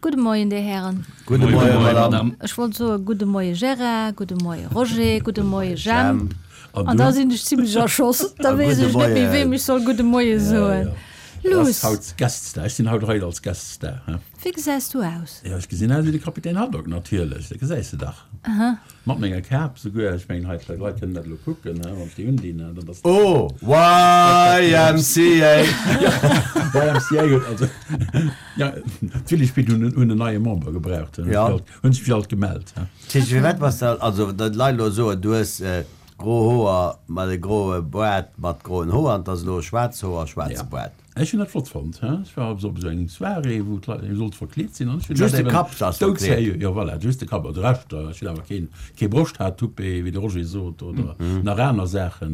Gudde Moien, Dir Hären. Gudde Moien, Madame. Ech wollt soe gudde Moie Gérard, gudde Moie Roger, gudde Moie Jemp. An da sinn ech zimlech erschoss. Da weess ech net méi, weem ech soll gudde Moie soen. Luss. Haut Gueststar. Ech sinn haut hei als Gueststar. Wéi gesäis du aus? Jo, ech gesinn aus wéi de Kapitän Haddock natierlech. Dat gesäis de dach. Aha. Mat menger Kap souguer. Ech mengen, hei d'Leit kënnen dat elo kucken, wann ech déi undinn. Dann ass. Oh, YMCA! YMCA huet also, ja, d'Willispitt hunn en neie Member gebraucht. Ja. Hunn sech alt gemellt. Tschich, firwat bass de, also, datt d'Leit elo soen, du hues gro Hoer mat e groe Boart mat groen Hoer an 't ass elo schwaarz Hoer, schwaarze Boart. Ech hunn dat flott fonnt. Ech war op esou engem Soirée, wou d'Leit eben sollte verkleet sinn an ech hunn dat eben. Just de Kapp ass verkleet. Jo, voilà, just de Kapp. De Rescht, ech hunn awer keen, kee Broschthaartoupet, wéi de Roger sot, oder nach aner Saache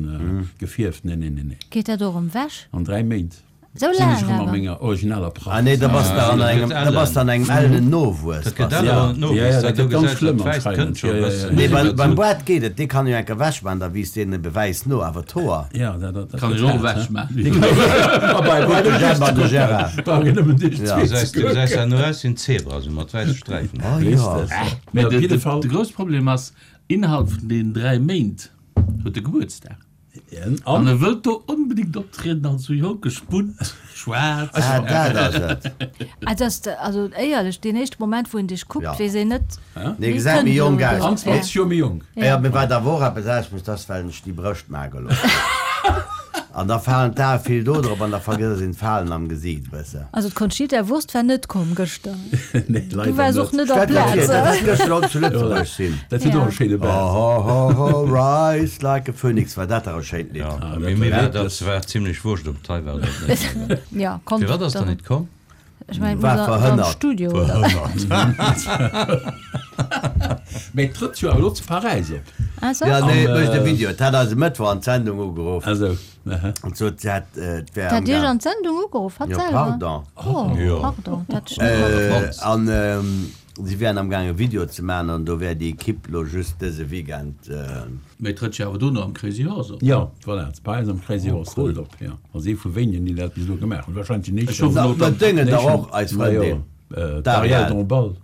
gefierft. Nee, nee, nee, nee. Geet dat och erëm wech? An 3 Méint Sou sinn laang ech erëm a awer? menger originaler Pracht. Ah nee, da bass de an engem, da bass de an engem ellenen Nowuess. Dat gëtt ellen Nowuess, Ja, ja, dat dat do gëtt ganz gesäis schlëmm dat wäisst anscheinend. kënnt scho e Ja, ja, bëssen. ja. Nee, beim, beim Boart geet et, dee kann jo enker wech man, da wiisst deen ebe wäiss no, awer d'Hoer. Ja, dat, dat, dat Kann gëtt ech och haart, ewech he? maachen. A bei, bei De Jemp an de Gérard. Brauch een nëmmen deeg Ja. zwee Du ze gesäis, du kucken. gesäis ja no aus wéi en Zebra, sou mat wäisse Sträifen. Oh Weess jo. de. Mee op De, jidde de, Fall. de grousse Problem ass, innerhalb vun deenen 3 Méint huet e Gebuertsdag. An e wëllt do onbedéngt optrieden als sou jonke Spunt, schwaarz. Ah, dat ass et. Ah, dat ass, also éierlech, deen éischte Moment, wou een dech kuckt, Ja. weess een net, Nee, gesäit méi jonk aus. An 20 Joer méi jonk. Ja, mee wat awer och eppes ausmécht, dat ass, well ech déi Brëscht maache gelooss hunn. An da falen d'Ae vill do drop an da vergëss een d'Falen am Gesiit e bësse. Also d'Conchita Wurst war net komm gëschter. Nee, Du leider waars och net. net op Stellt lech vir, Plaz. dat hätt gëschter och zu Lëtzebuerg sinn. Dat huet och e schéine Baart. Ho, ho, ho, rise like a phoenix, war dat dach e schéint Lidd. Ja, mee mir war dat war zimlech wurscht, ob d'hei war oder net. Ja, konnt Firwat ass der dann. net komm? Ech mengen, War muss am verhënnert. Studio, oder? Mee et trëtt jo awer elo zu Paräis op. Ah, so? Ja, nee, et mécht e Video. Et hat eis e Mëttwoch an d'Sendung ugeruff. Ah sou, aha. An sot, se hätt, et wär Hat Iech amgaang. an d'Sendung ugeruff, hatt Jo, selwer? pardon. Oh, Jo. pardon, dat ech net matkritt. An si wären amgaang e Video ze maachen an do wär déi Equipe lo just dëse Weekend. Mee et trëtt jo awer dono am Crazy Horse op. Jo, voilà, zu Paräis am Crazy Horse trëtt et op, jo. Als ee vu wéinigen, déi dat bis elo gemaach hunn. Wahrscheinlech den Ech éischten. hoffen och, Dat datt. déngen dach och eis Frëndin D'Arielle Dombasle.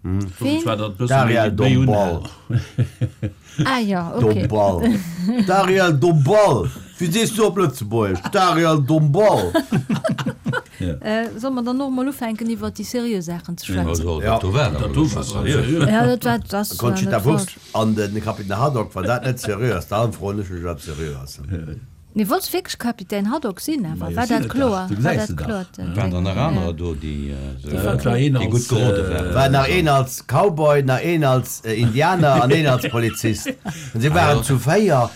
Ween? Zwar datt e bësse méi D'Arielle méi Dombasle. unhält. Ah jo, ok. Dombasle. D'Arielle Dombasle. Wéi sees du op Lëtzebuergesch? D'Arielle Dombasle. Solle mer dann och emol ufänken iwwer déi seriö Saachen ze schwätzen? Also, dat do war Dat do war seriö. Ja, dat war, dat ass net Conchita falsch. Wurst an de Kapitän Haddock, wann dat net seriö ass, dann froen ech mech, wat seriö ass. Mee wollts wierklech Kapitän Haddock sinn awer? Majo, War sinn dat et kloer? dach. Du War gesäis dat se dach. kloer? Waren der nach anerer do, déi Et war een déi gutt als, gerode waren? War nach een als Cowboy, nach een als Indianer an een als Polizist. An si waren zu 4,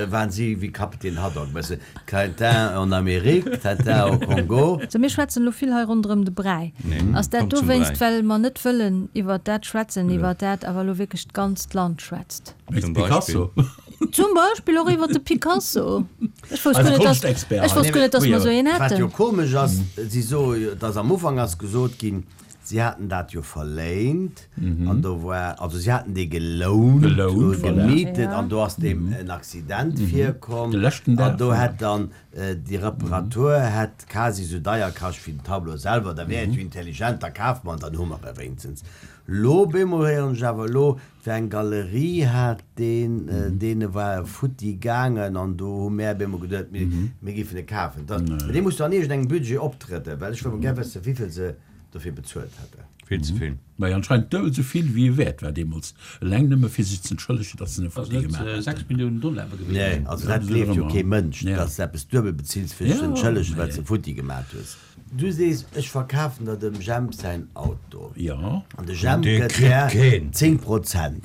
waren si wéi Kapitän Haddock, e bësse Tintin en Amérique, Tintin au Congo. Sou, mir schwätzen elo vill hei ronderëm de Bräi. Ass dat komm zum dowéinst, Bräi. well mer net wëllen iwwert dat schwätzen, iwwert dat awer elo wierklech d'ganzt Land schwätzt? Wéinst Zum Picasso. Beispill. Zum Beispill och iwwer de Picasso. Ech wousst Eise guer net, dass, Konschtexpert. ech wousst guer net, dass mer esou een Wat jo hätten. komesch ass, si soe jo, dass am Ufank ass gesot ginn, si haten dat jo verléint an do war, also si haten dee gelount, Gelount, voilà. gemietet Ja. an do ass deem en Accident virkomm De leschten an Dag, do voilà. hätt dann déi Reparatur hätt quasi esou deier kascht wéi den Tableau selwer. Da wär et jo intelligent, da kafe mer en, dann hu mer e wéinstens. Lo bemol héieren ech awer elo, Fir eng Galerie hat deen, deene war e futti gaangen an do hu mär op eemol geduet, mir, mir géifen e kafen. Dat, mä dee muss do an iergendengem Budget optrëden, well ech wëll mol gär wëssen, wéivill se dofir bezuelt hätten. Vill ze vill. Majo, anscheinend duebel esou vill, wéi e wäert war deemools, eleng nëmme fir sech z'entschëllegen, datt se en Ass futti net gemaach 6 haten. Milliounen Dollar awer Nee, gewiescht? also dat gleeft jo kee Mënsch, datt s de eppes duebel bezills, fir dech z'entschëllegen, well s de futti gemat hues. Du sees, ech verkafen der dem Jemp säin Auto. Jo. An de Jemp Dee gëtt kritt där keen. 10 Prozent.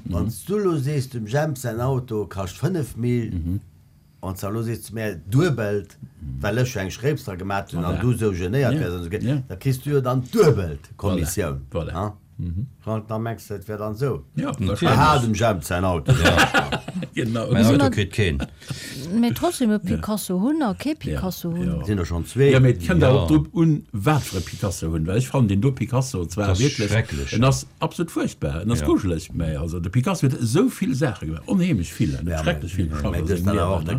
Wann s du elo sees, dem Jemp säin Auto kascht 5 Mil, wann s de elo sees zu mär, duebelt, well ech jo eng Schréips dra gemat hunn an du esou genéiert wäers an esou, da kriss du jo dann d'duebelt Kommissioun. Voilà. Frank, da mengs de, et wär dann esou? Jo, Aha, dem Jemp säin Auto. Genau. Mäin Auto kritt keen. Mee trotzdem e Picasso hunn a kee Picasso hunn. Sinn der schonn zwee. Jo, mee et kënnt awer och drop un, wat fir e Picasso hunn, well ech fannen deen do Picasso zwar wierklech, en ass absolut fuerchtbar, en ass grujeleg, mä also de Picasso huet esou vill Saache gemaach, onheemlech vill, en huet schrecklech vill geschafft a sengem Liewen, an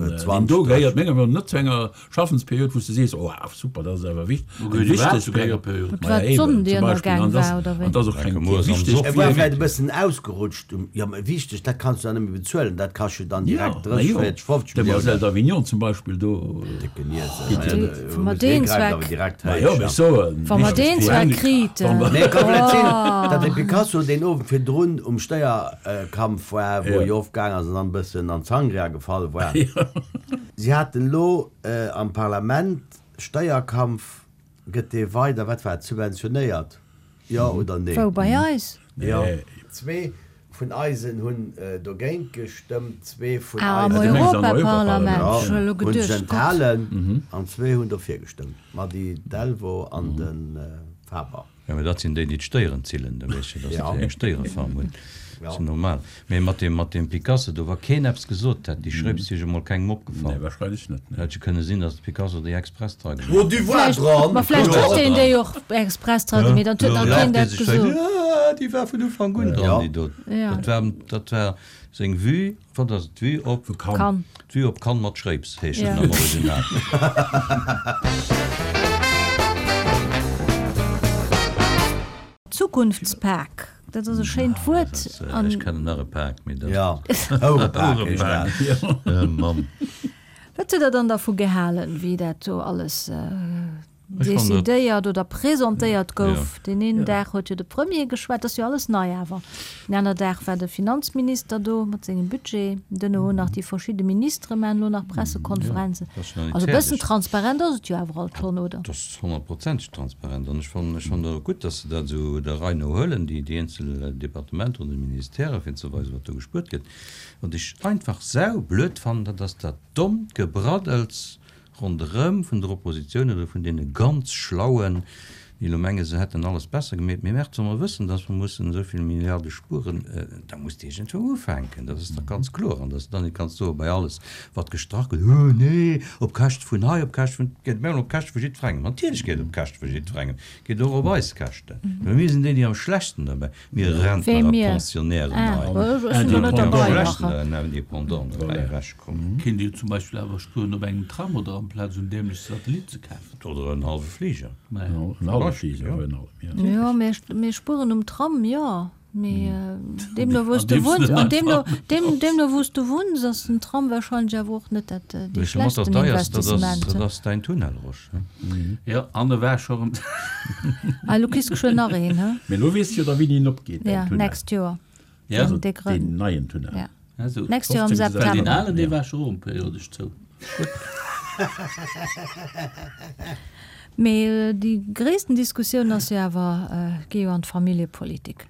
deen do gehéiert menger Meenung no net zu enger Schaffensperiod, wou s de sees, oh super, dat ass awer wich eng wichteg Period. Et war d'Sonn, déi ënnergaang war, oder wéi? An dat ass och keng wichteg. E war vläicht e bëssen ausgerutscht um, jo, mä wichteg, dat kanns du dann net méi bezuelen, dat kascht jo dann direkt 30, 40, 50 Millioune. Demoiselle d'Avignon zum Beispill do. Décken Iesel, Wa mer deen zwar. Ma jo, mä ech soen. Wa mer deen zwar kriten. Mee et ka vläicht sinn, datt de Picasso deen Owend virdrun um Stéierkampf war, wou e jo oft gaang ass an dann e bëssen an d'Sangria gefall war. Si haten elo am Parlament, Steierkampf, gëtt dee weider, wat war et, subventionéiert, jo oder nee? Wou, bei eis? Jo. Zwee vun eisen hunn dogéint gestëmmt, zwee vun Ah, am eisen Europaparlament, ech hunn elo hunn sech geduecht, Gott. enthalen an zwee hunn dofir gestëmmt, d'Mady Delvaux an de Faber. Jo, mä dat sinn déi, déi d'Stéieren zillen, da weess je, datt déi eng Stéierefarm hunn. Dat ass jo normal. Mä mat deem, mat deem Picasso do, wa keen eppes gesot hätt, déi Schréips wier jo mol kengem opgefall. Nee, wahrscheinlech net, nee. Hätt jo kënne sinn, datt de Picasso déi express dra gemaach Oh, du war dran! Ma vläicht huet deen déi och express dra gemeet an et huet nach keen dat gesot. Jo, déi war vun Ufank un dran, déi do. Dat war, dat war seng Vue. Wat ass et? D'Vue op Cannes. D'Vue op Cannes mat Schréips heescht en am Original. Zukunftspak, dat ass e schéint Wuert. Ech kennen nach e Pak, mee dat. Jo, Hourepak heescht dat. Mann. Wat hutt Der dann dervu gehalen, wéi dat do alles decidéiert oder presentéiert gouf. Deen een Dag huet jo de Premier geschwat, dat ass jo alles nei awer. Den aner Dag war de Finanzminister do mat sengem Budget, duerno hunn nach déi verschidde Ministere maachen elo nach Pressekonferenzen. Also e bëssen transparent ass et jo awer alt schonn, oder? Dat ass honnertprozenteg transparent an ech fannen, ech fannen och gutt, datt se dat esou der Rei no huelen, déi eenzel Departementer oder Ministèrë fir ze weisen, wat do gespuert gëtt. Wat ech einfach saublöd fannen, dat ass dat dommt Gebraddels ronderëm vun der Oppositioun oder vun deene ganz Schlauen, déi elo menge se hätten alles besser gemeet, mee März, wa mer wëssen, datt mer mussen esou vill Milliarde spueren, da muss de iergendwou ufänken, dat ass dach ganz kloer. An datt s de dann net kanns soe bei alles, wat gestrach gëtt, Oh nee, op Käschte vun hei, op Käschte vun, geet op Käschte vu jiddwerengem. Natierlech geet et op Käschte vu jiddwerengem, geet och op eis Käschten, well mir sinn déi, déi am schlechtsten derbäi. Mir Rentner a Pensionnairen hei, déi am schlechten Indépendant dobäi ewechkommen. Kéint Dir zum Beispill awer spueren op engem Tram oder amplaz en dämleche Satellit ze kafen. Oder en hallwe Fliger. En hallwe Fliger, virun allem, jo. Jo, mir spueren um Tram, jo. Mee deemno wou s de wunns, an deemno, deemno wou s de wunns, ass den Tram wahrscheinlech awer och net dat dee schlechtsten Investissement. Dat ass däin Tunnel, Rosch. Jo, an e war scho rëm. Ah, elo kriss de geschwënn nach een, he? Mee elo weess de jo da wéini en opgeet, däin Ja, Tunnel. next Joer. Ja. Den dee Grënn. Deen neien Tunnel. Ja. Also, Next Joer am 15. September. Well deen alen, dee war scho erëm periodesch zou. Mee déi gréissten Diskussioun ass jo awer, geet jo an d'Familljepolitik.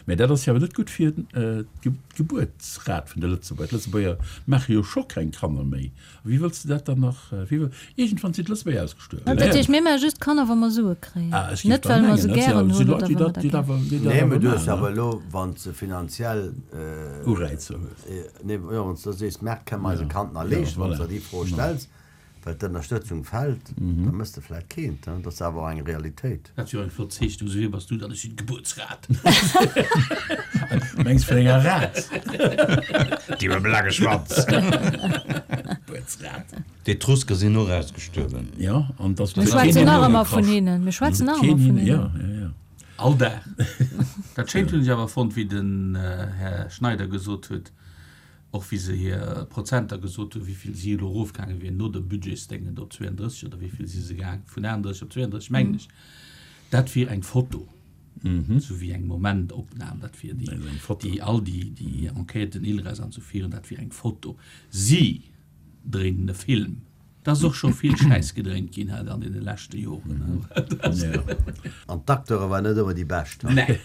Mä dat ass jo awer net gutt fir d'Gebuertsrat vun de Lëtzebuerger. D'Lëtzebuerger maache jo scho keng Kanner méi. A wéi wëlls de dat dann nach, wéi wëll, iergendwann sinn d'Lëtzebuerger ausgestuerwen. Dat heescht, mir maache just Kanner, wa mer Sue kréien, net well mer se gären hunn oder well mer dat gären. Nee, mä du hues awer elo, wann s de finanziell. Ureizer hues. Nee, jo, wann s de sees, Mäert kënne mer eis e Kand nach leeschten, wann s de der déi Fro stells, Well d'Ënnerstëtzung fällt, da mëss de vläit keent. Dat ass awer och eng Realitéit. Dat wier eng flott Zeechnung. Sou, wie bass du dann? Ech sinn d'Gebuertsrat. Mengs vun enger Rat? Déi mam laange Schwanz. Gebuertsrat. D'Etrusker sinn och ausgestuerwen. Jo, an dass Mir schwätzen nach ëmmer vun hinnen. Mir schwätzen nach ëmmer vun hinnen. Jo, jo, jo. All Dag. Dat Schéint hunn ech awer fonnt, wéi den Här Schneider gesot huet, Och wéi se hir Prozenter gesot hunn, wéi vill si elo erofgaange wieren no dem Budgetsdéngen op 32 oder wéi vill si se gaang, vun 38 op 32 mengen ech, dat wier eng Foto, esou wéi eng Momentopnam, dat wier déi, déi all déi, déi Enquêten, ILRES an esou virun, dat wier eng Foto. Si dréinen e Film. Et ass och scho vill Schäiss gedréint ginn hei an deene leschte Joren. An d'Acteure waren net ëmmer déi bescht. Nee.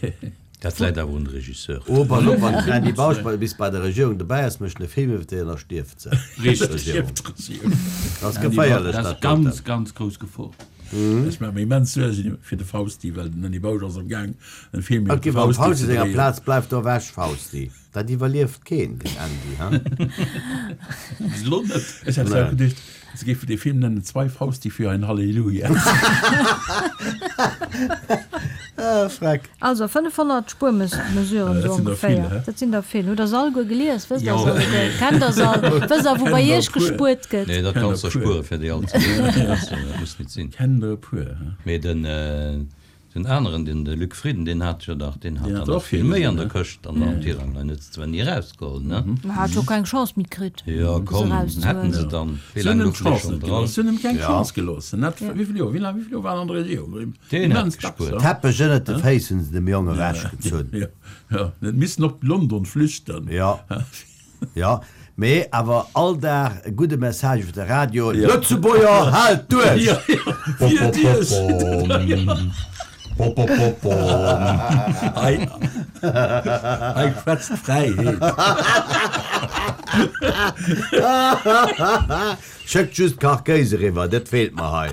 Dat läit awer un de Regisseur. Oh, pass op, wann d'Randy Bausch bei bis bei der Regierung dobäi ass, mécht en e Film iwwer déi an da stierft se. Richteg. Dat ass geféierlech, Dat ass dat doten. ganz, ganz grouss Gefor. Ech maache mir immens Suergen fir de Fausti, well den Andy Bausch ass am Gaang en Film iwwer Ok, de beim Fausti Fausti ze senger dréien. Plaz bleift do ewech, Fausti. Dat iwwerlieft keen, den Andy, ha? Bis elo net. Ech hat zwar geduecht, se géifen dee Film nennen Zwei Fausti für ein Halleluja. Ah, Freck. Also 500 Spuermesuren Dat esou sinn der vill, ongeféier. hä? Dat sinn der vill. Hutt der se alleguer gelies? Wësst der Jo. se alleguer? Kennt der se all? Wësst der, wou bei Kennen der iech e puer. gespuert gëtt? Nee, dat Kennen kanns der der e puer. spuere fir déi all ze liesen. Dat muss nit sinn. Kennen der e puer, hä? Mee den. Den aneren, den de Luc Frieden, deen hat jo dach, deen hat Deen der hat nach och vill méi an virgesinn, der ne? Këscht an am Tirang. Deen huet se zwar ni erausgeholl, ne? Mä hat jo keng Chance méi kritt, Jo, se komm, hätten erauszehuelen. se dann. Wéi Se hunn laang em louchen déi d'Chance schonn net dran? gelooss. Se hunn em keng Ja. Chance gelooss. En hat, wéi vill Joer, wéi laang, wéi vill Joer war en an der Regierung? Deen hat Immens dacks, gespuert. ja. Teppech ënnert de Féiss hunn se dem Jong ewechgezunn. Ja, ja, en huet missen op London flüchten. Ja. Jo, mee awer all Dag e gudde Message iwwer de Radio, Lëtzebuerger, haalt duerch! Hei, hei schwätzt d'Fräiheet. Schéckt just Kachkéis eriwwer, dat feelt mer hei.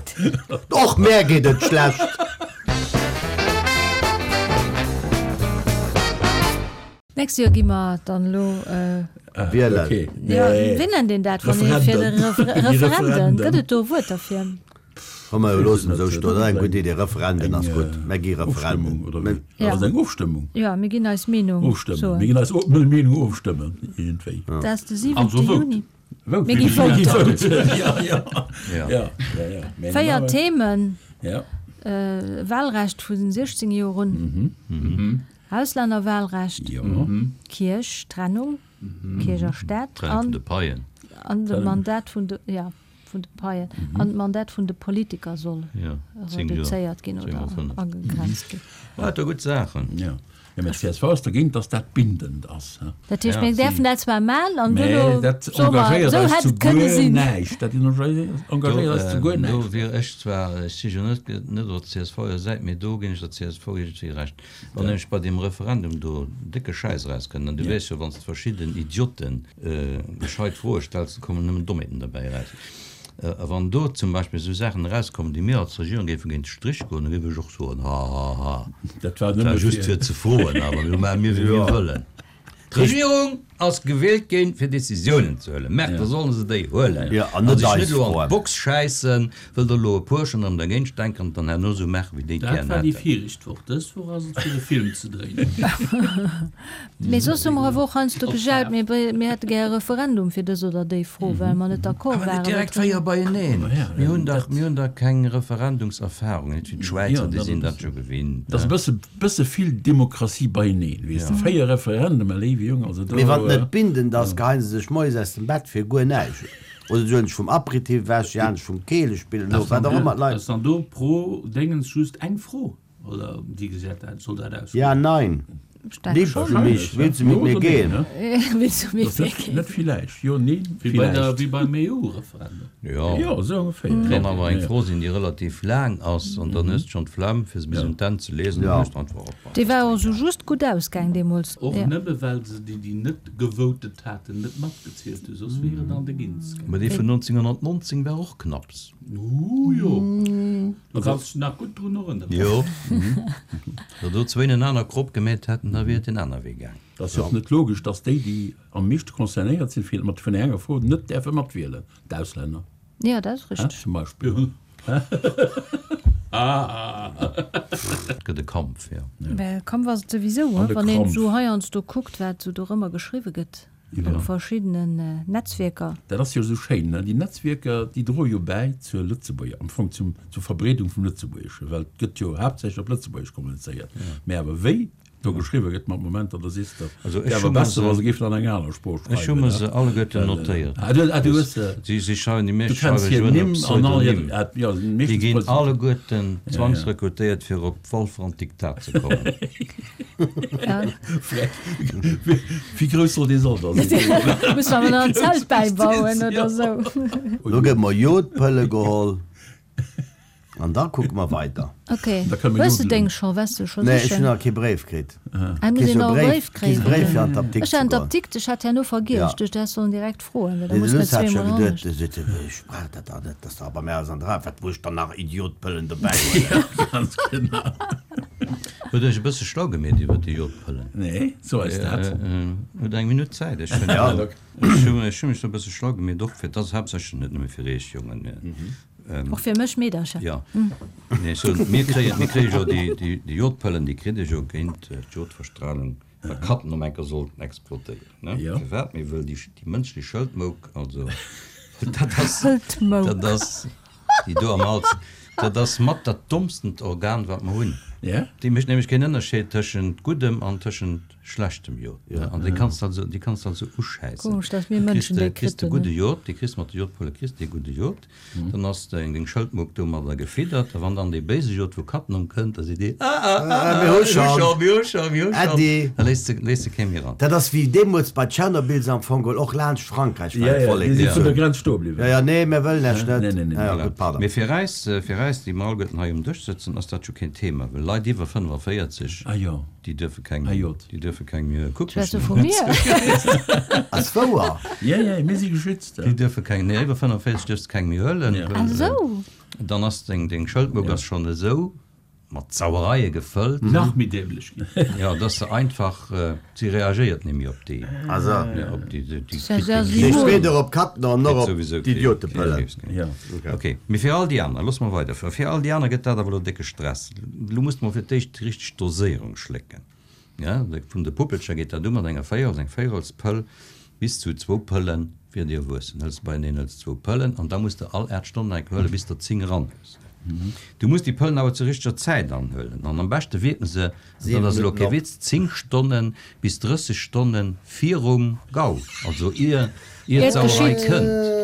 Och mär geet et schlecht. D'nächst Joer gi mer dann elo wielen. Jo, wéi nennt een dat, wann ee fir de Referenden, gëtt et do e Wuert derfir? Komm mer loossen et esou stoen, dat ass eng gutt Idee, Referenden ass gutt, mer gi Referenden. Dat ass eng Ofstëmmung. Jo, mir ginn eis Meenung soen. Mir ginn eis Meenung ofstëmmen, iergendwéi. Dat ass de 7. Juni. Mir gi voten. Véier Themen, Wahlrecht vu 16 Joer un. Auslännerwahlrecht, Kierch, Trennung, Kierch a Staat Trennung vun de Paien. An de Mandat vun de, jo, vun de Paien. An d'Mandat vun de Politiker soll reduzéiert ginn oder agegrenzt ginn. Lauter gutt Saachen. Jo, mä d'CSV ass dergéint, datt dat bindend ass. Dat heescht, mir däerfen dat zwar man an duerno Mä dat soe mer, engagéiert esou eis hätt zu et kënne guer sinn. näischt. Dat engagéiert eis zu guer Do näischt. wier ech zwar, ech si jo net net op der CSV-Säit, mee do ginn ech der csv iergendwéi Recht. Wann nämlech bei deem Referendum do décke Schäiss erauskënnt, an du weess jo, wann s de verschidden Idioten gescheit Froe stells, da kommen nëmmen Dommheeten derbäi eraus. A wann do zum Beispill esou Saachen erauskommen, déi mir als Regierung géife géint de Strich goen, da géif ech och soen, Ha, ha, ha, Dat war dat war nëmme just fir. fir ze froen, awer elo maache mir, wéi mir wëllen. D'Regierung ass gewielt ginn, fir Decisiounen ze huelen. Merkt, da sollen se déi huelen. Jo, an net sech eis net elo an froen. d'Box schäissen, wëll der elo e puer schonn erëm dergéint stänkeren an dann herno esou maachen, wéi déi et Dat gären war déi hätten. viregt Woch. Dës Woch ass et fir e Film ze dréinen. Mee soss hu mer awer och heiansdo gejaut, mir mir hätte gär e Referendum fir dës oder déi Fro, well mer net d'accord Awer waren. net direkt 4 beieneen. Mir hunn dach, mir hunn dach keng Referendumserfahrung, net wéi d'Schwäizer, déi sinn dat jo gewinnt. Dat ass e bësse, bësse vill Demokratie beieneen, weess de. 4 Referendumer, léiwe Jong, also do. Mee wann et net bindend ass, geheien se sech moies aus dem Bett fir guer näischt. Oder se huelen sech vum Aperitif ewech, se halen sech vum Keelespillen of, wat och ëmmer d'Leit. Ass dann do pro Déngens just eng Fro? Oder wéi gesäit dat, soll dat ausgoen? Ja, nein. Liebst du mich? Willst du mit mir gehen? Willst du mit mir gehen? Net villäicht, jo, neen, Wéi bei der, villäicht. wéi beim EU-Referendum. Jo, Jo, esou ongeféier. Kann awer eng Fro sinn, déi relativ laang ass, an dann hues de schonn d'Flemm, fir se bis un d'Enn ze liesen, Ja. dann hues de einfach op. Dee war och esou just gutt ausgaang deemools. Och nëmme well se déi, déi net gewotet haten, net matgezielt hu, soss wier et an de Ginz gaangen. Mä dee vun 1919 war och knapps. Ooh jo, do kanns dech nach gutt drun erënneren. Jo, wa do zwéin en aner Krop gemeet hätten, da wier et en aner Wee gaang. Et ass jo och net logesch, dass déi, déi am meeschte concernéiert sinn, fir mat vun enger Fro net däerfe matwielen, d'Auslänner, Jo, dat ass richteg. zum Beispill. Et gëtt e Kampf, jo. Mä Kampf ass et souwisou, An de wann een Krampf. esou heiansdo kuckt, wat esou dorëmmer geschriwwe gëtt. Op verschiddenen Netzwierker. Dat ass jo esou schéin, ne? Déi Netzwierker, déi droe jo bäi zur Lëtzebuerger, am Fong zum, zur Verbreedung vum Lëtzebuergeschen, well et gëtt jo haaptsächlech op Lëtzebuergesch kommunizéiert. Mä awer wéi do geschriwwe gëtt mat Momenter, da sees de, Also wär ech awer hu mer besser, wa se, se géifen an enger aner Sprooch ech hu schreiwen, mer ne? se alleguerten Well, notéiert. ah, du, ah, du hues se, Si, si schreiwen, déi du meescht kenns schreiwe hir jo ënner Nimm an all hir, Pseudonym. ah, jo, Déi meeschtens ginn Pseudonym. alleguerten Ja, ja. zwangsrekrutéiert, fir op Walfer an d'Diktat ze kommen. Wéi grouss soll dee Sall da sinn? Musse mer nach en Zelt bäibauen oder sou. Lo gëtt mer Jodpëlle geholl. An da kucke mer weider. Ok. Hues de deng scho? Waars de scho Nee, ech sichen? hunn nach kee Bréif kritt. Ah, muss Kriss een jo nach e Bréif, Bréif kriss kréien? Bréif fir an d'Apdikt Ech ze hat goen. d'Apdikt, ech hat herno vergiess. Ja. Ech duecht, du häss sollen direkt froen, well da Nee, de muss mer Luss hat scho zweemol geduet, anescht. de seet, ech brauch dat dach net, dass der bei mär ass an der Rei, wat muss ech dann nach Idiotpëllen dobäi huelen? Ganz genau. Hutt Iech e bësse schlau gemeet iwwer déi Jodpëllen? Nee, so eis dat. Hutt eng Minutt Zäit? Ech hunn Ja. ech hunn ech hu mech do e bësse schlau gemeet, och fir, dat ass haaptsächlech net nëmme fir Iech Jongen, mä Och fir mech Meedercher. Jo, nee, ech soen, mir kréien, mir kréie jo déi, déi, déi Jodpëllen, déi kritt ee jo géint d'Jodverstrahlung, wa Cattenom enker sollt explodéieren, ne? Jo. Firwat? Mee wëll déi, déi mënschlech Schëldmouk, also dat ass, Schëldmouk. dat ass déi do am Hals, dat ass mat dat dommstent Organ, wat mer hunn. Ja. Déi mécht nämlech keen Ënnerscheed tëschent guddem an tëschent schlechtem Jod, ne? An déi kanns de also, déi kanns de also uschäissen. Komesch, dass mir Du kriss Mënschen de, déi kriss de kritt hunn, gudde ne? Jod, déi kriss mat de Jodpëlle kriss de gudde Jod. Dann ass deng deng Schëldmouk domadder gefiddert, a wann dann dee béise Jod vu Cattenom kënnt, da seet dee, Ah, ah, ah, ah, Mir hu mir hu schonn. scho, mir hu scho, mir hu schonn. Äddi. Da léisst se, léisst se kee méi eran. Dat ass wéi deemools bei Tschernobyl se am Fong geholl och laanscht Frankräich war Ja, ja, déi d'Vollek si vun der gezunn. Grenz stoe bliwwen. Ja, ja, nee, mir wëllen lech net. Nee, nee, nee, Ja, ja, nee. gutt, pardon. Mee fir äis, fir äis, déi mer alleguerten hei um Dësch sëtzen, ass dat jo keen Thema, well Leit iwwer 45, Ah jo. déi duerfe keng, Ah jot. déi duerfe keng méi Schwätz du Kuckmaschinn vu mir? Ass wouer? Ja, ja, mir si geschützt. Déi duerfe keng, nee, iwwer 45 duerfs de keng méi huelen, Ja. well Ah sou. dann ass deng, deng Schëldmouk ass schonn esou mat Sauereie gefëllt. Nach méi dämlech ginn. Jo, dass se einfach, si reagéiert net méi op déi, Ah sou. ja, op déi, déi Das ist kritt ja kee Déi Simon. weder op Katten an kritt och op souwisou kee, kee d'Idiotepëllen. Kriibs méi. Ja. Ok, mee fir all déi aner, loosse mer weiderfueren, fir all déi aner gëtt dat awer elo décke Stress. Elo muss de mol fir d'éischt déi richteg Doséierung schlécken. Ja, vun de Puppelcher geet dat u mat enger Véierels, eng Véierelspëll bis zu zwou Pëlle fir déi Erwuessen. Hëls de beieneen, hëls zwou Pëllen an da muss de all 8 Stonnen eng huelen, bis der 10 eran hues. Du muss déi Pëllen awer zur richteger Zäit anhuelen an am beschte wierken se, an dat ass elo kee Witz, 10 Stonnen bis 30 Stonnen virum Gau, also ier ier d'Sauerei kënnt.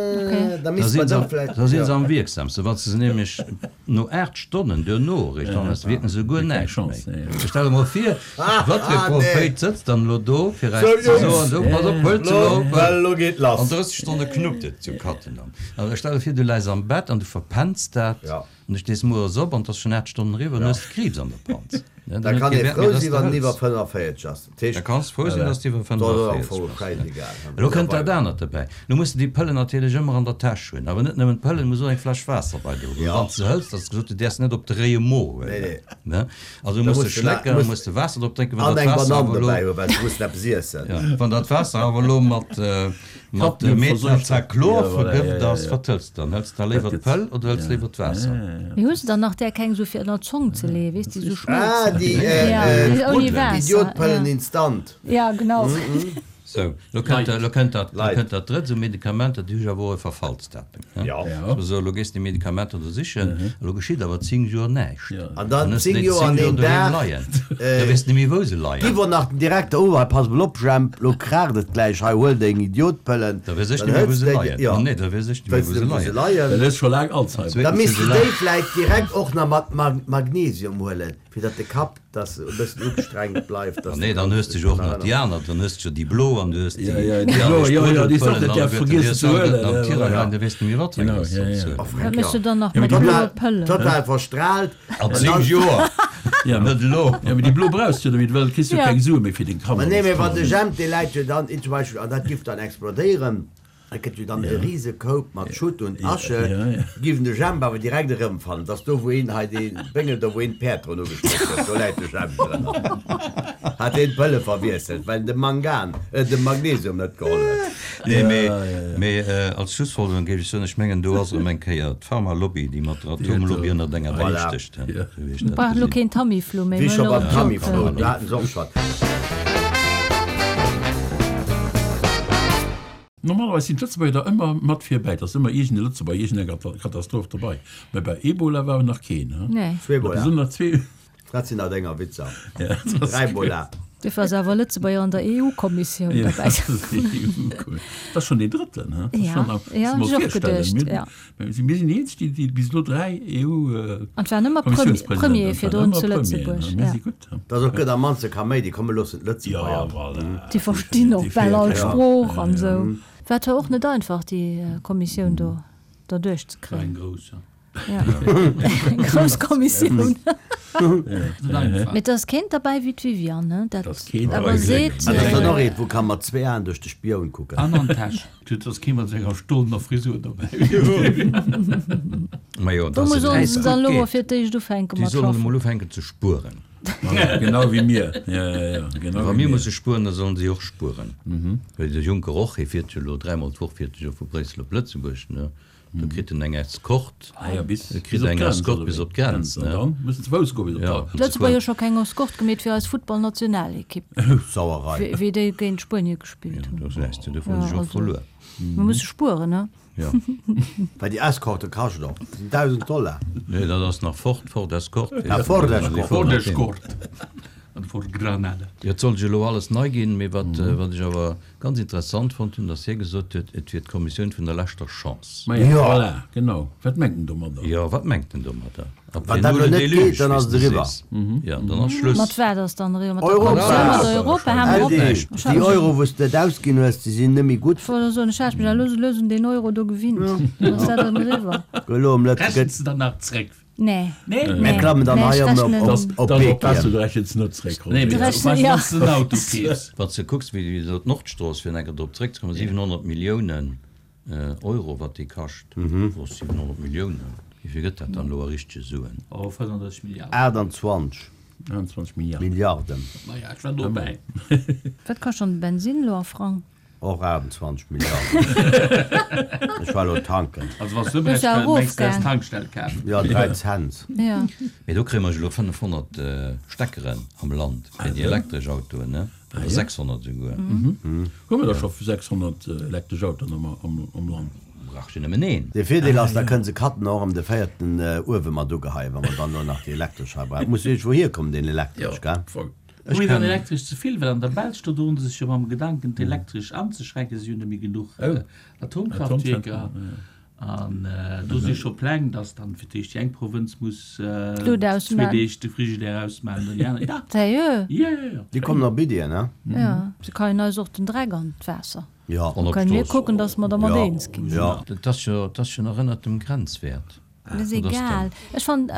Da si se am wierksamsten. Wann s de se nämlech no 8 Stonnen duerno eréischt anhëls, wierken se guer näischt méi. Stell der mol vir, wat fir e Prophéit sëtzt dann elo do, fir eis ze soen, sou, pass op, huelt se elo, well an 30 Stonne knuppt et zu Cattenom. Also stell der vir, du läis am Bett an du verpenns dat an du stees mueres op an et ass schonn 8 Stonnen eriwwer an du hues Kriibs an der Panz. Da kann ee frou sinn, wann en iwwer 45 ass. Dat Da heescht, kanns frou sinn, dass de iwwer dat ass am 45 Fong bass. schäisegal. Elo kënnt dat anert dobäi. Elo muss de déi Pëllen natierlech ëmmer an der Täsch hunn. Awer net nëmmen d'Pëllen, du muss och eng Fläsch Waasser bei der hunn. Wann s de se hëls, dass gesot, du däerfs net op de réie Mo huelen. Ne? Also Da muss de muss de schlécken, muss muss de Waasser drop drénken. Wann an dat eng Waasser Banann awer elo, dobäi hunn, well se mussen eppes iessen. ja, wann dat Waasser awer elo mat, mat Cadmium verseucht. Metachlor Ja, voilà, vergëft ja, ja, ass, ja. wat hëls de dann? Hëls de da léiwer Dat gëtt, d'Pëll oder hëls ja, léiwer ja, d'Waasser? ja, ja. Mee hues de dann nach där keng esou fir ënner d'Zong ze leeën, weess, déi esou Ah, schmëlzen? déi, Ja, äh, déi ouni déi Waasser, Idiotpëllen ja. instant. Ja, genau. Sou, lo kënnt, lo kënnt dat, lo Leit. kënnt dat drëtt, esou Medikamenter, déi hu jo awer och e Verfallsdatum, ne? Ja. Ja. So, lo gees de Medikamenter do sichen, a lo geschitt awer 10 Joer näischt. Ja. An dann Dann hues de 10 déi Joer 10 an Joer een doheem Dag, leien. Da weess de net méi, wou se leien. Giff och nach den Direkter, oh hei pass mol op Jemp, lo kraacht et gläich, hei huel deng Idiotpëllen. Da weess ech Dann net méi, wou hëls se de déi, leien. jo, Oh nee, da weess ech net méi, wëlls wou se de wou se leien. leien. Well hues scho laang Alzheimer. Da Zweetens, misst wou de se déi leien. vläit direkt och nach mat Magnesium huelen, fir datt de Kapp dass e bëssen ugestrengt bleift, Ah dass nee, de dann kanns hues de dech jo och drun nach déi erënneren. aner, dann hues de jo déi blo an du hues déi Ja, ja, déi déi blo, aner jo, jo, déi s och Sprudelpëllen net däerf alleguerten, déi vergiessen hues ze de alleguerten huelen, am ja, Tirang voilà. leien, da weess de méi wat fir eng Genau, dass ja, sollst ja. huelen. Oh, Wat Fränk, méchs jo. du dann nach Ja, mee mat déi blo, bloe Pëllen? Total verstraalt. An An 10 dann, Joer, ja, net elo. ja, mee déi blo brauchs de jo net méi, well kriss jo Ja. keng Sue méi fir deng Ma Kanner, nee, dass mee wann de d'Kanner. Jemp, dee läit jo dann, zum Beispill, an dat giff dann explodéieren, Et gëtt jo dann e rise Koup mat Schutt und Asche, giff en de Jemp awer direkt erëmfannen. Et ass do, wou een hei dee Béngel do, wou een d'Päerd drun ugeschloss huet, do läit de Jemp drënner. Hat deen d'Pëlle verwiesselt, well en de Mangan, de Magnesium net geholl huet. Nee, mee, mee als Schlussfolgerung géif ech soen, ech mengen, do ass erëm eng Kéier d'Pharmalobby, déi mat der Atomlobby ënnert enger Deck Voilà. stécht, esou wéi ech Mir dat brauchen elo gesinn. keen Tamiflu méi, Wéi mir scho hunn elo beim Tamiflu, d'Jodpëllen. do haten se och schonn. Normalerweis sinn d'Lëtzebuerger da ëmmer mat virbäi, et ass ëmmer iergend e Lëtzebuerger, iergend eng Katastroph dobei. Mä bei Ebola war nach keen, he? Nee. Zweebola. Besonnesch nach zwee. Dat sinn nach denger Witzer. Ja, dat ass Dräibola. Duerfir ass awer e Lëtzebuerger an der EU-Kommissioun Ja, derbäi. dat ass schonn deen drëtten, he? Dat ass Ja, schonn, muss ja, mer hunn ech och virstellen. geduecht, Mir, ja. mir sinn déi eenzeg, déi, déi bis elo dräi EU. An et waren ëmmer Premier, Premier virdrun zu Lëtzebuerg, Mir ja. si gutt, he? Dat ass och gëtt am mannste Kaméidi. Komm mir loossen Ja, d'Lëtzebuerger. voilà. Déi verstinn och Déi bal all féiert, ja. Sprooch an esou. War zwar och net einfach, déi Kommissioun do derduerch ze War eng kréien. grouss, ja. Grouss Kommissioun. Mee et ass keent derbäi wéi d'Viviane, ne? Dat awer seet. Dat ass dann och eent, wou ka mat zwee Aen duerch de Spioun kucken. An an d'Täsch. Et ass kee mat senger stollener Frisur dobäi. Majo, Do dass et sollen äis se dann gutt elo mol geet. fir d'éischt ufänke Déi mat sollen schaffen. emol ufänken ze spueren. Voilà, genau wéi mir. Ja, ja, ja, genau Wa wéi mir mir. musse spueren, da sollen si och spueren. Well de Juncker och, hie fiert jo elo dräimol d'Woch fiert e jo vu Bréissel op Lëtzebuerg, ne? Do kritt en eng Escort. Ah ja, bis, E bis kritt op eng d'Grenz, Escort oder bis wéi? op d'Grenz, Grenz, an ne? dann mussen ze Fouss goen bis op Ja, d'Grenz. ze D'Lëtzebuerger fueren. hu scho keng Escort gemeet fir eis Futtballnationalekipp, Sauerei. wéi wéi déi géint Spuenie gespillt Ja, hunn. do gesäis de, dofir hunn Ja, sech och also, verluer. mir musse spueren, ne? Ja. Well déi Escorte kascht och 1.000 Dollar. Nee, dat ass nach Ford, Ford Escort. Ah, Ford Escort. Ford Escort an Ford Granada. Jo, et soll jo elo alles nei ginn, mee wat, wat ech awer ganz interessant fonnt hunn, datt hie gesot huet, et wier d'Kommissioun vun der leschter Chance. Ma ja, voilà, genau. Wat mengt en domadder? Jo, wat mengt en domadder? Wann dat elo net geet, dann ass et eriwwer. Jo, dann ass Schluss. Mat wat ass dann eriwwer? Mat der Europa! Kommissioun, mat Europa? Hal mer op. Aldi, déi Euro, wou s de net ausginn hues, déi sinn net méi gutt. Ech wollt soen, ech hat mech elo lues un deen Euro do gewinnt. Dann ass dat dann eriwwer. Elo am Lëtze gëtt. Rechens de dann nach zréck? Nee. Nee? Mir klammen dann Nee, hei ech ëm rechnen. op, op Dann Beek oppassen, hier. du rechens net zréck, Nee, Roger. mee Rechnen, wann ja. s de en Auto keefs. Wann s de kucks, wéi elo d'Nordstrooss, fir enker drop zréckzekommen, 700 Milliounen Euro, wat déi kascht, oh, 700 Milliounen, wéi vill gëtt dat dann elo a richtege Suen? Oh, 35 Milliarden. 28 28 Milliarden. Milliarden. Maja, ech war dobäi. Wat kascht dann de Bensin elo a Frang? Och 28 Milliarden. Ech war elo tanken. Also wann s du Hues ëmrechent, du mengs du, häss erofgaang? Tankstell kaf. Jo, 3 Cent. Ja. Mee do kréie mer elo 500 Steckeren am Land fir déi elektresch Autoen, ne? Oder 600 esouguer. Hu mer da scho 600 elektresch Autoen am Land? Brauch jo nëmmen een. De Virdeel ass, da kënne se Katten och ëm de véierten Uewe mat ugeheien, wa mer dann elo nach déi elektresch hei brauchen. Muss iergendwou hierkommen, deen elektresch, gell? Hu mir dann Elektresch ze vill? Well an der Belsch, do droen se sech jo mam Gedanken, d'Elektresch anzeschränken. Si hunn net méi genuch Atomkraftwierker. An do si scho Pläng, dass dann fir d'éischt déi eng Provënz muss D'Lut zwee ausmaan. Deeg de Frigidaire ausmaan, dann déi aner. Ja! Sérieux? Ja, ja, ja. Déi kommen op Iddien, ne? Ja, se keien eis och den Dreck an d'Waasser. Ja. An op Kënnen mir d'Strooss. kucken, dass mer dermat Ja, eens ginn. ja. Dat ass jo, dat ass jo nach ënnert dem Grenzwäert. Dat ass egal. Ech fannen,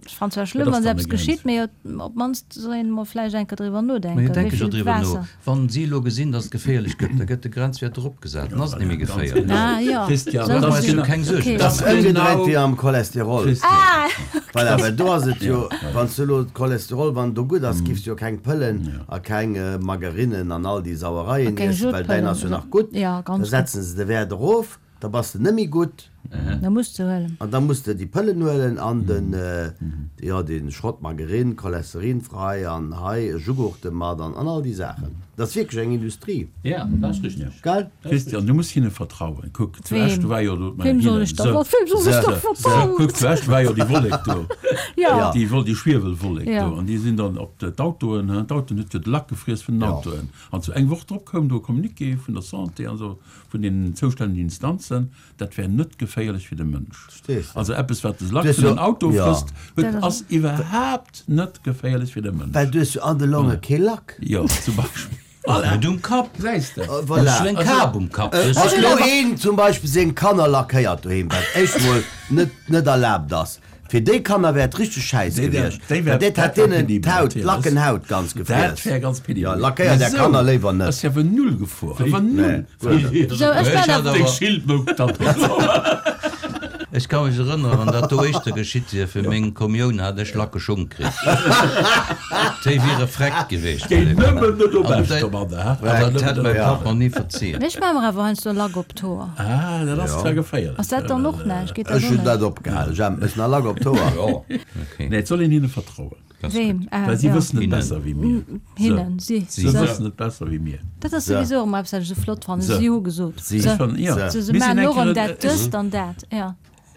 ech fannen zwar schlëmm, wann eppes geschitt, mee op d'mannst soll een emol vläicht eng Kéier driwwer nodenken, Mee denke wéi jo vill driwwer no. Waasser. Wann si elo gesinn, datt et geféierlech gëtt, da gëtt de Grenzwäert eropgesat, dann ass et net méi geféierlech. Ah jo, Christian, esou Da maache gesinn. mer keng Suergen. Okay. Dat ass ëmgedréit wéi am Cholesterol. Ah! Voilà, well do ass et jo, wann s du elo d'Cholesterol, wann do gutt ass, giffs du jo keng Pëllen a keng Margarinnen an all déi Sauereien A keng iessen, well däin Jodpëllen ass jo oder. nach gutt. Ja, Da ganz gutt. setzen se de Wäert erof, da bass de net méi gutt. Da muss de huelen. An da muss de déi Pëllen huelen an den, jo, dee Schrott Margarine, cholesterinfrei an hei Jughurte mat an all déi Saachen. Dat ass wierklech eng Industrie. Ja, dat ass richteg. Gell? Christian, du muss hinne vertrauen. Kuck, zu Weem? Esch, do war jo do, Weem soll ech da, weem soll ech da vertrauen? Kuck, zu Esch war jo déi Wollek do. Ja. Déi Wol, déi Schwiewelwollek Ja. do. An déi sinn dann op d'Autoen, hein, d'Autoen huet jo de Lack gefriess vun den Autoen. An zu eng Woch drop koum do e Communiqué vun der Santé, also vun den zoustännegen Instanzen, Dat wär net geféierlech fir de Mënsch. Also eppes, wat de Lack vun den Auto frësst, huet, ass iwwerhaapt net geféierlech fir de Mënsch. Well du hues jo an de Longe kee Lack. Jo, zum Beispill. Voilà. Net um Kapp. Gesäis de. Voilà. Ech hunn eng Kap um Kapp. Wann elo een zum Beispill seng Kanner lackéiert doheem, wat éischt mol net net erlaabt ass, Fir déi Kanner wär et richteg schäiss gewiescht, well dat hätt deenen d'Haut, d'Lackenhaut ganz gefriess. Jo, lackéiert är Kanner léiwer net. Ass jo awer null gefuer, awer null. Sou, ech war awer. Deng Schild mouk dann Ech ka mech erënneren, wann dat do éischter geschitt wier, fir meng Kommioun hat ech lacke Schong kritt. Déi wiere freckt gewiescht. Géi nëmmen net op Esch domadder, ha? Dat hätt mäi Papp mer ni verziehen. Ech maache mer awer heiansdo Lack op d'Hoer. Ah, dat ass zwar geféierlech. Ass dat dann och näischt? Geet dat Ech och hunn net? dat opgehal. Ech hat mech nach Lack op d'Hoer. Jo, okay. Nee, et soll een hinne vertrauen. Weem? Ah, Well si jo. wëssen et Hinnen. besser wéi mir. Hinnen, si. Se wëssen et besser wéi mir. Dat ass souwisou ëmmer eppes, wat ech esou flott fannen. Se. Si hu gesot. Si. Se. Ech fannen, jo. Se, se Mir sinn maachen eng och erëm Kéier- dat, dëst an dat, ja.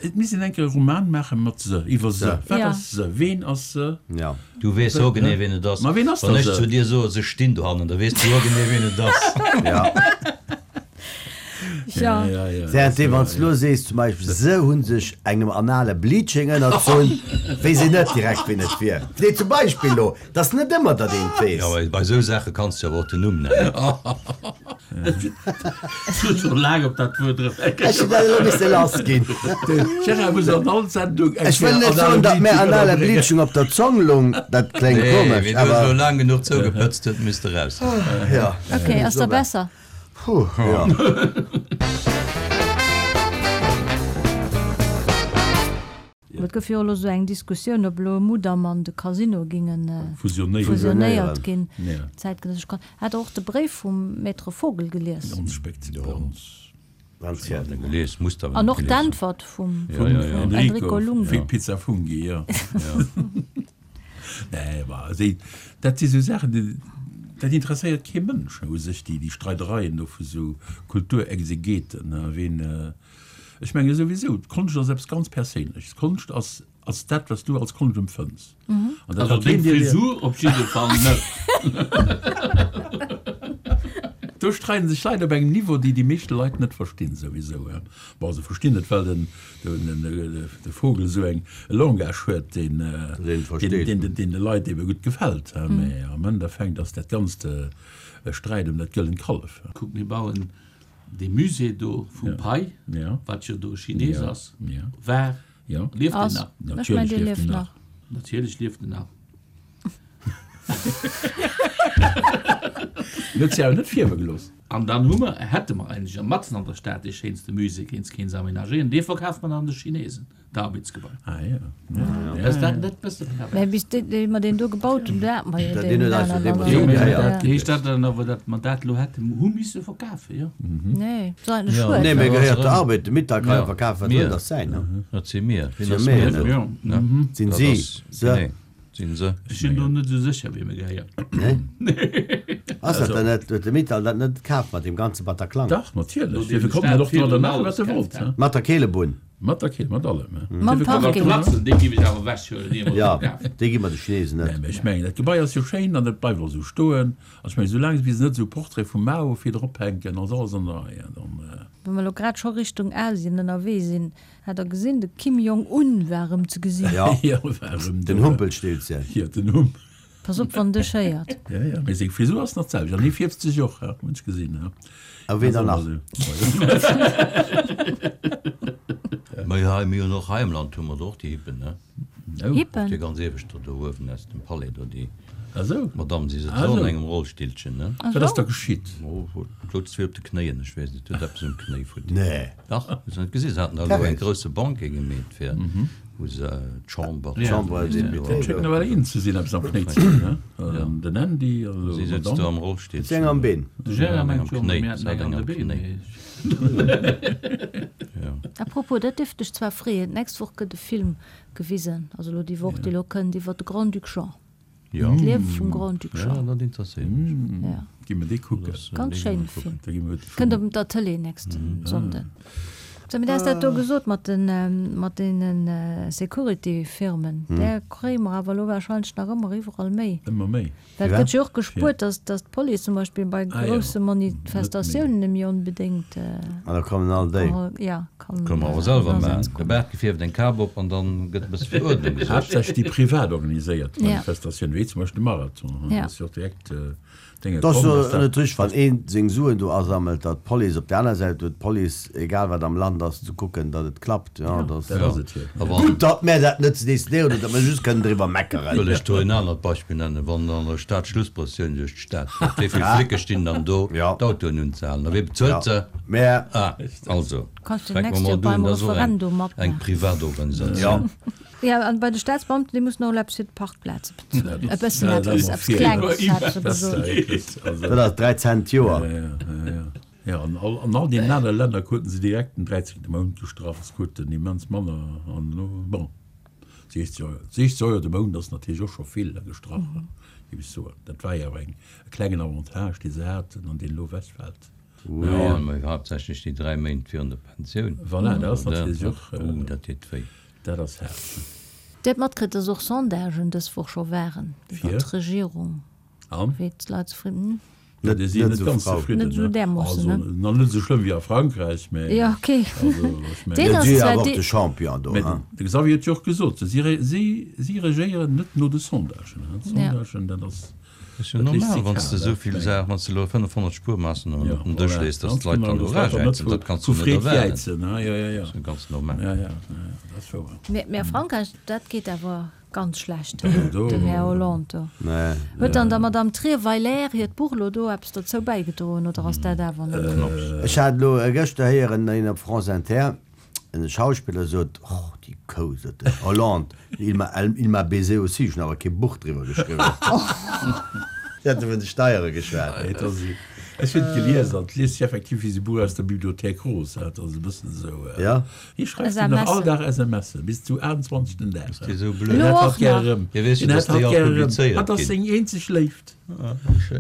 Et misst een eng Kéier e Roman maache mat se, iwwer se. Wat Ja. ass se? Ween ass se? Ja. Du weess hogenee, ween et ass. Ma ween ass Wann da ech se? zu dir soe, se stinn dohannen, da weess du hogenee, ween et ass. Ja. Ja. Während wann s lo sees zum Beispill se hunn sech engem anale Bleaching ënnerzunn, weess een net direkt wien et wier. Nee zum Beispill lo, 't ass net ëmmer datt een et weess. Jo, bei esou Saache kanns de awer och den Numm nennen. Ech hunn scho laang op dat Wuert erëm eng Kéier. Ech hunn dat elo misse lass ginn. De Gérard muss an all Sendung eng Ech wëll net soen, datt mär anale Bleaching op der Zong lung, dat kléngt Nee, komesch, wien huet awer. elo laang genuch zougepëtzt huet, misst eraus. Jo. Ok, ass da besser. Puh, jo. Et gouf jo elo sou eng Diskussioun, ob elo Mudam an de Casino ginge fusionéiert ginn. Zäitgenëssesch Kon. Hat Der och de Bréif vum Maître Vogel gelies? An och d'Äntwert vum Enrico Lunghi. Pizza Funghi, jo. Nee, ma also, dat si sou Saachen, déi, dat interesséiert kee Mënsch u sech, déi, déi Streidereien do vu sou Kulturexegeten, ween, Ech menge souwisou, d'Konscht ass eppes ganz Perséinleches. Konscht ass, ass dat, wat s du als Konscht empfënns. An dat Also deng Frisur op jidde Fall net. Do streiden sech Leit op engem Niveau, déi déi meeschte Leit net verstinn souwisou. Bon, se verstinn et, well den, den, de Vogel esou eng, e Langage huet, deen, deen, deen de Leit ebe gutt gefält. Mä am Endeffekt ass dat Ganzt e Sträit ëm dat gëllent Kallef. Kuck, mir bauen Dee Musée do vum Pei, wat jo do e Chines ass, war, lieft deen nach? Ech mengen, dee lieft nach. Natierlech lieft en nach. En huet sech awer net fierwe gelooss. An dann hu mer, hätte mer eigentlech matzen an der Stad dee schéinste Musée, kéints kéints aménagéieren, dee verkaft mer dann de Chinesen. D'Arbeitsgebai. Ah ja. Ass dat net bësse pervers? Mä bis déi mer deen do gebaut hunn, do hate mer jo deen aneren. Jo, mä dat heescht dat dann awer, datt mer dat elo hätten hu misse verkafen, jo? Nee, dat ass eigentlech schued. Nee, mä gehéiert der Arbed. De Mittal ka jo verkafen, wat wëll, dat ass säin, ne? Dat si mir. Wien ass mir? Jo. Sinn si se? Sinn se? Ech sinn do net esou sécher, wiem e gehéiert. Nee? Ass dat dann net, huet de Mittal dat net kaf mat deem ganze Bataclan? Dach, natierlech. Dofir konnt en och domadder maachen, wat e wollt. Mat der Keelebunn. Mat der Kehl, mat allem. Mam Parking. Dee giff ech awer ewechhuelen, ier mer Jo, verkafen. dee gi mer de Chinesen net. Nee, mä ech mengen, dat Gebai ass jo schéin an dat bleift och esou stoen. An ech mengen, soulaang wéi se net esou e Portrait vum Mao vir drop hänken, ass alles an der Rei. Dann. Wa mer elo grad scho Richtung Asien ënnerwee sinn, hat der gesinn, de Kim Jong Un war erëm ze gesinn. Jo, Jo, war erëm do. den Humpelstilzchen. Jo, den Hump. Pass op wann dech héiert. Ja, ja, mee seng Frisur ass nach d'selwecht an hie fierft sech och, hunn ech gesinn. A ween dann nach? Mä hei, mir hunn och hei am Land hu mer der och déi Hippen, ne? Hippen? Och déi ganz iewescht do uewen aus dem Palais do, déi Ah sou. Madame, si sëtzt och an engem Rollstillchen, ne? Wat ass da geschitt? Oh, souz vill op de Knéien, ech weess net, huet eppes um Knéi futti. Nee. Dach, hues de net gesinn? Se haten da elo e grousse Banquet gemeet fir, wou se d'Chamber, D'Chambre des Députés. Et schéngt nawell een ze sinn, eppes am Knéi ze hunn, he? Den Andy an elo Si sëtzt do am Rollstillchen. Huet si eng am Been? De Gérard Eng mengt am jo, Knéi, mir hätten se hat eng eng an am de Been, Knéi. mee. Jo. A propos, dat dierft dech zwar freeën, d'nächst Woch gëtt e Film gewisen, also elo déi Woch, déi elo kënnt, iwwer de Grand-Duc Jean. Jo. D'Liewe vum Grand-Duc Ja, Jean. dat interesséiert mech. Ja. Gi mer dee kucken. Ganz schéine Film. Da gi mer de Kënnt op der Tëlee nächsten Sonnden. So, mee du has dat do gesot mat den, mat deene Security-Firmen. Där kréie mer awer elo warscheinlech nach ëmmer iwwerall méi. Ëmmer méi. Well et gëtt jo och gespuert, dass, dass d'Police zum Beispill bei grousse Manifestatiounen net méi onbedéngt. An da kommen all déi. Ja, kann. Kënne mer awer selwer maachen. De Baart gefierft, eng Kap op an dann gëtt e bësse fir Uerdnung gesuergt. Haaptsächlech déi privat organiséiert Manifestatiounen, wéi zum Beispill de Marathon, do ass jo och direkt Dénge Et ass komm, jo dass dat. net richteg, wann ee seng Suen do asammelt, datt d'Police op där aner Säit huet, d'Police, egal wat am Land ass, ze kucken, datt et klappt. Jo, dat ass Dat ass et jo. A wann. Gutt, datt mär dat net ze decidéieren hunn, datt mer just kënnen driwwer meckeren. Wëll ech do en anert Beispill nennen, Wann an der Stad Schlussprëssioun duerch d'Stad geet, wéi vill Flicke stinn dann do, d'Autoen unzehalen? A wee bezuelt se? Mär. Ah, also, Kanns du fänke mer d'nächst mol Joer un, beim dat ass och eng, Referendum eng matmaachen. Privatorganisatioun. Jo, an bei de Staatsbeamten, déi mussen och elo eppes fir d'Parkplaze bezuelen. E bëssen eppes, eppes Klenges, hat se gesot. Dat ass 3 Cent d'Joer. Jo, an all, an all deenen anere Länner kruten se direkt den dräizéngte Mount gestrach. Se kruten immens manner. An elo, bon, 60 Euro, 60 Euro de Mount ass natierlech och scho vill gestrach, géif ech soen. Dat war jo awer eng, e klengen Avantage, dee se haten an deen elo ewechfält. Jo, mä haaptsächlech déi 3 Méint virun der Pensioun. Voilà, dat ass natierlech och. Uh, dat deet wéi. Dat ass haart. Dir hutt matkritt, dass och Sondagen dës Woch scho waren iwwer Fir? d'Regierung, An? wéi d'Leit zefridden. Net Net net esou ganz frou. zefridden, Net esou ne? därmoossen, Also, ne? nach net esou schlëmm wéi a Frankräich, mä Jo, ok. also ech mengen. Deen Jo, ass si zwar awer och dee. de Champion do, Mä hein? de Xavier huet jo och gesot, si re si si regéieren net no de Sondagen, hein? Ja. D'Sondagen, dat ass, Dat ass jo dat léisst normal, si wann s de kal, esou dat vill mengen. Saachen, wann s de elo 500 Spuermaassnamen Ja, op den Dësch voilà, lees, dass ganz d'Leit genau, dann dass d'Leit dann net eragäizen, vu dat kanns vu du net Freed erwaarden. jäizen, hein? Jo, jo, jo. Dat ass jo ganz normal. Ja, ja, ja, ja, dat ass wouer. Mä mä a Frankräich, dat geet awer. Ganz schlecht, den Här Hollande do. Huet dann der Madame Trierweiler hiert Buch elo do eppes dozou bäigedroen oder ass dat awer net? Ech hat elo gëschter héieren, een op France Inter, en Schauspiller sot, Och, déi Kou, sot den Hollande, il m'a, il m'a baisé aussi, ech hunn awer kee Buch driwwer geschriwwen. Si hate vun de Steiere geschwat. Ech hunn et gelies an et liest sech effektiv wéi esou e Buch aus der Bibliothék Rose. Dat ass e bëssen esou. Hie schreift jo nach all Dag SMSen, bis zu 28. den Dag. Hien hätt hatt gär erëm. Hie weess jo, Hien dass hätt hatt déi all gär erëm. publizéiert Hatt ass ginn. seng eenzeg Léift.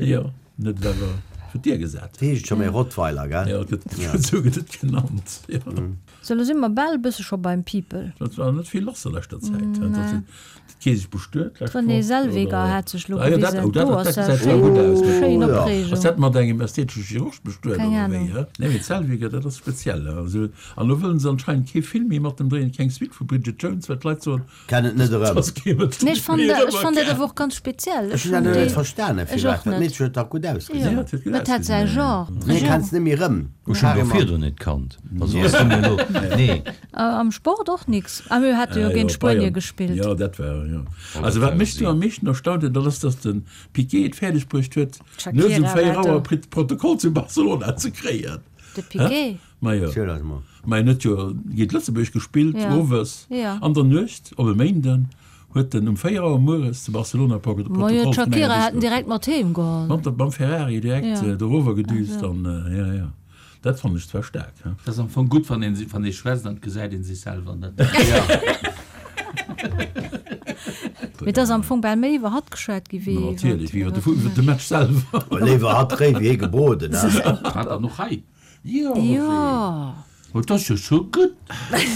Jo, en huet et awer fir d'Dier gesat. Dat heescht scho méi Rottweiler, gell? Jo, et gëtt, esou gëtt et genannt, jo. Sou, lo si mer bal e bësse scho beim People. Et war net vill lass a leschter Zäit. Nee. D'Kee sech bestuet d'lescht D'Renée Woch, Zellweger oder? hat sech lo Ah jo, dat, gewisen. oh, dat, Do dat ass gesäit dat zwar gutt aus, schéin Oh, ja. Opreegung. Ass dat mat engem ästhetesche Chirurg bestuet, Keng oder Ahnung. wéi, hä? Nee, mee d'Zellweger, dat ass speziell, hä? Also, an lo wëllen se anscheinend kee Film méi mat em dréien, keng Suite vu Bridget Jones, well d'Leit soen, Kennen et net erëm. dass kee mat Nee, ech fannen méi dat, ech fannen dat erëmerkennt. awer och ganz speziell. Ech Ech hunn dat hunn net déi, verstanen, ech firwat. och Dat net. Meedchen huet dach gutt ausgesinn. Ja, et huet gutt Mä et hat säi ausgesinn, ja. Genre. Nee, kenns net méi erëm. Ech hunn do virdrun net kannt. Also, ass du mir elo, nee. Am Sport och nix. Ah mir hate jo Ah, géint jo, Spuenie Bayern. gespillt. Jo, dat war, jo. Also wat mech do am meeschten erstaunt huet, dat ass, datt de Piqué et fäerdeg bruecht huet, nuets um D'Shakira 4 war do. Auer Protokoll zu Barcelona ze kréien. De Piqué? Ma jo. Ziel eis mol. Ma en huet jo géint Lëtzebuerg gespillt, Ja. owes Ja. an der Nuecht op e Méinden huet en um 4 Auer mueres zu Barcelona Ma jo, Protokoll vun enger d'Shakira hat en Disco direkt mat heem geholl. Mam, mam Ferrari direkt Ja. dorower gedüst Also. an, ja, ja. Dat fannen ech zwar staark, he. Dat ass am Fong gutt, wann een, wann ee schwätzt an et gesäit een sech selwer net. Mee et ass am Fong bal méi iwwer hatt geschwat gi wéi iwwer. Natierlech, wéi iwwer de Fu, iwwer de Match selwer. Léiwer hatt réi wéi hie gebroden, he. Hat der noch hei? Jo. Jo. Oh, dat ass jo scho gutt.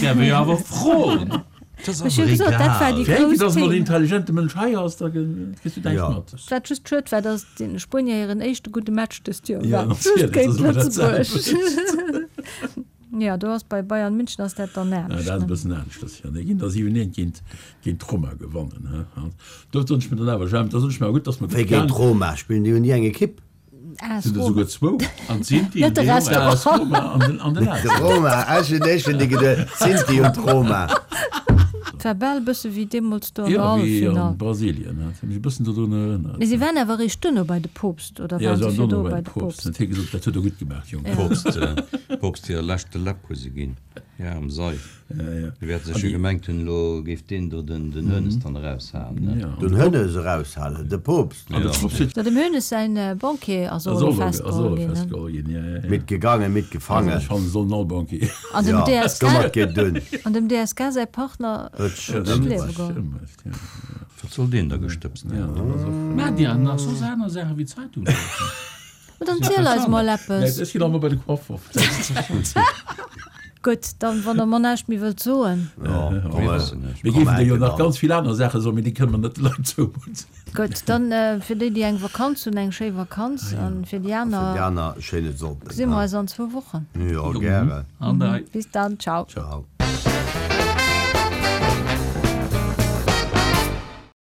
Däerf ee jo awer froen. Dat ass Ech hu awer gesot, dat war déi egal. Fir eng, grouss dass emol en Thema. intelligente Mënsch hei ass, da kriss du näischt Jo. mat. Wat just schued war, dass den Spuenier hiren éischte gudde Match dëst Joer Ja, war, just natierlech, géint dat ass ëmmer dat Lëtzebuerg. selwecht. Jo, do ass bei Bayern München ass dat dann Ja, dat anescht, ass e ne? bëssen aneschters, jo. Déi ginn da 7, 1 géint, géint d'Roma gewannen, he. An do soen ech mir dann awer, Jemp, da soen ech mir awer gutt, dass mer Wéi gutt géint gaang. d'Roma? Spillen déi, hunn déi eng Ekipp? AS Sinn der Roma. souguer zwou. An d'Sinti Net de an de Restaurant. AS Roma an den, an den De AS. Roma, ech hunn éischt un déi geduet, d'Sinti und d'Roma. Et war bal e bësse wéi deemools do an der Jo, wéi an Halleffinall. Brasilien, hat mech e bëssen dodrun erënnert. Mee si waren awer eréischt duerno bei de Poopst, oder Ja, waren se se waren virdu dono bei bei de de Poopst. Poopst? Huet hie gesot, dat huet der gutt gemaach, Jong. Ja. Poopst, Poopst hire leschte Läpp hu se ginn. Ja, am Seif. Ja, ja. Déi wäerte sech jo gemengt hunn, elo géif deen do den Hoeneß dann eraushalen, ne? Ja. Den Hoeneß eraushalen, de Poopst. An de Poopst huet. Jo, dem Hoeneß säin Banquier ass och Ass elo och elo, ass och festgeholl elo ginn, ne? festgeholl ginn, ja, ja, ja. Mitgegangen, Also mitgefangen. ech fannen, se sollen all Banquier. An dem Ja, DSK, domat geet dunn. an dem DSK säi Partner Huet sech Ja, huet dat d'Liewe huet sech geholl. ëmbruecht, ja. Wat soll deen da gestëbst Ja, hunn? dat ass och. Maacht Dir nach soss aner Saache wéi Zeitung liesen? Ma dann ziel eis mol Nee, eppes. ech ginn och mol bei de Coiffer. Gutt, dann, wann der mer näischt méi wëllt soen. Jo, Mir wëssen näischt. Mir géifen der jo nach ganz vill aner Saache soen, mee déi kënne mer net de Leit zoumudden. Gutt, dann fir déi, déi eng Vakanz hunn, eng schéi Vakanz an fir déi Fir aner déi aner e schéine Sonnden. gesi mer eis an zwou Wochen. Jo, gären. An dei. Bis dann, ciao. Ciao.